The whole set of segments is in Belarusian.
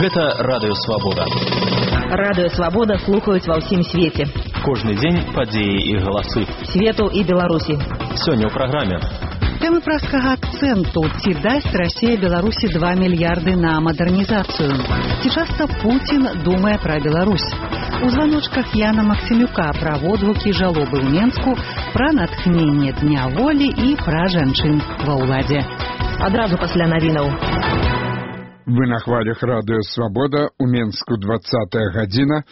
Гэта Радыё Свабода. Радыё Свабода слухаюць ва ўсім свеце. Кожны дзень падзеі і галасы. Свету і Беларусі. Сёння ў праграме. Тэмы праскага акцэнту. Ці дасць Расія Беларусі 2 мільярды на мадэрнізацыю? Ці часта Пуцін думае пра Беларусь? У званочках Яна Максімюка пра водгукі жалобы ў Менску, пра натхненне Дня волі і пра жанчын ва ўладзе. Адразу пасля навінаў. Вы на хвалях Радыё Свабода, у Менску 20-я гадзіна.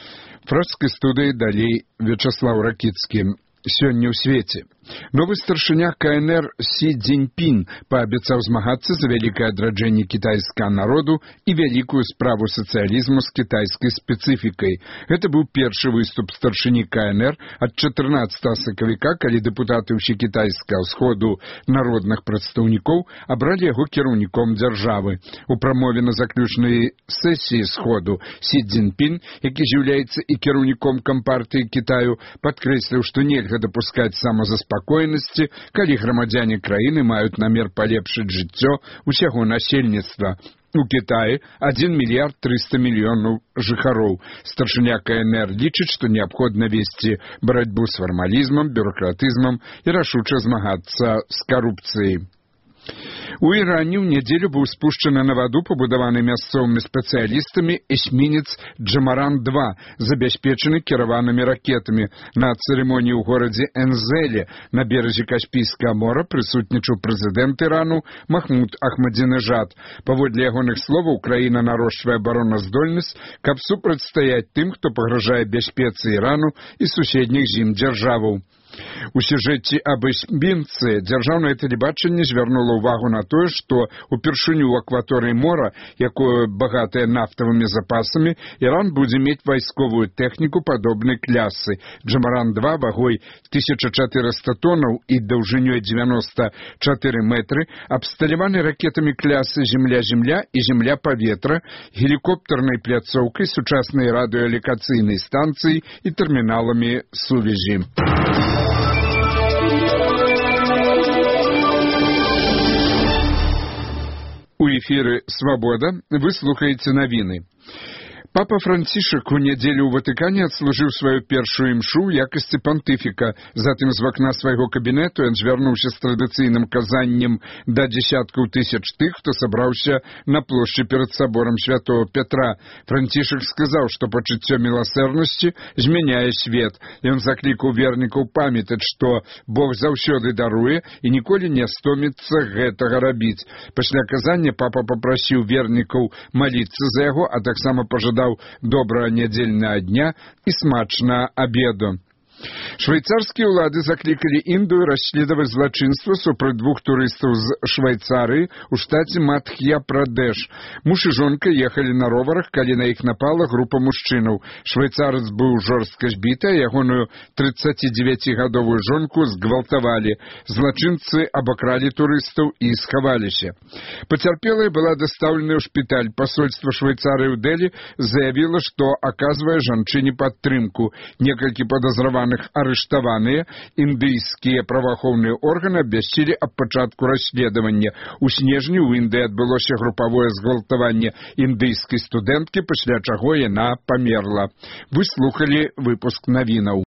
Пражскай студыі далей Вячаслаў Ракіцкі. Сёння ў свеце. Новы старшыня КНР Сі Цзіньпін паабяцаў змагацца за вялікае адраджэнне кітайскага народу і вялікую справу сацыялізму з кітайскай спецыфікай. Гэта быў першы выступ старшыні КНР ад 14 сакавіка, калі дэпутаты ўсекітайскага ўсходу народных прадстаўнікоў абралі яго кіраўніком дзяржавы. У прамове на заключнай сесіі сходу Сі Цзіньпін, які з'яўляецца і кіраўніком кампартыі Кітаю, падкрэсліў, што нельга дапускаць самазаспакоенасці, калі грамадзяне краіны маюць намер палепшыць жыццё усяго насельніцтва. У Кітаі 1 мільярд 300 мільёнаў жыхароў. Старшыня КНР лічыць, што неабходна весці барацьбу з фармалізмам, бюракратызмам і рашуча змагацца з карупцыяй. У Іране ў нядзелю быў спушчаны на ваду, пабудаваны мясцовымі спецыялістамі, эсмінец Джамаран-2, забяспечаны кіраванымі ракетамі. На цырымоніі ў горадзе Энзеле на беразе Каспійскага мора прысутнічаў прэзідэнт Ірану Махмуд Ахмадзінежад. Паводле ягоных словаў, краіна нарошчвае абароназдольнасць, каб супрацьстаяць тым, хто пагражае бяспецы Ірану і суседніх з ім дзяржаваў. У сюжэце аб эсмінцы дзяржаўнае тэлебачанне звярнула ўвагу на тое, што упершыню ў акваторыі мора, якое багатае нафтавымі запасамі, Іран будзе мець вайсковую тэхніку падобнай клясы. Джамаран-2 вагой 1400 тонаў і даўжынёй 94 метры, абсталяваны ракетамі клясы «Земля-Земля» і «Земля-Паветра», гелікоптарнай пляцоўкай, сучаснай радыёлакацыйнай станцыяй і тэрміналамі сувязі. У эфіры «Свабода» вы слухаеце навіны. Папа Францішак у нядзелю ў Ватыкане адслужыў сваю першую імшу ў якасці пантыфіка. Затым з вакна свайго кабінету ён звярнуўся з традыцыйным казаннем да дзесяткаў тысяч тых, хто сабраўся на плошчы перад саборам святого Петра. Францішак сказаў, што пачуццё міласэрнасці змяняе свет. Ён заклікаў вернікаў памятаць, што Бог заўсёды даруе і ніколі не стоміцца гэтага рабіць. Пасля казання папа папрасіў вернікаў маліцца за яго, а таксама пажадаў добрага нядзельнага дня і смачнага абеду. Швейцарскія ўлады заклікалі Індыю расследаваць злачынства супраць 2 турыстаў з Швейцарыі ў штаце Мадх'я-Прадэш. Муж і жонка ехалі на роварах, калі на іх напала група мужчынаў. Швейцарец быў жорстка збіты, а ягоную 39-гадовую жонку згвалтавалі. Злачынцы абакралі турыстаў і схаваліся. Пацярпелая была дастаўлена ў шпіталь. Пасольства Швейцарыі ў Дэлі заявіла, што аказвае жанчыне падтрымку. Некалькі падазраваных арыштаваныя. Індыйскія праваахоўныя органы абвясцілі аб пачатку расследавання. У снежні ў Індыі адбылося групавое згвалтаванне індыйскай студэнткі, пасля чаго яна памерла. Вы слухалі выпуск навінаў.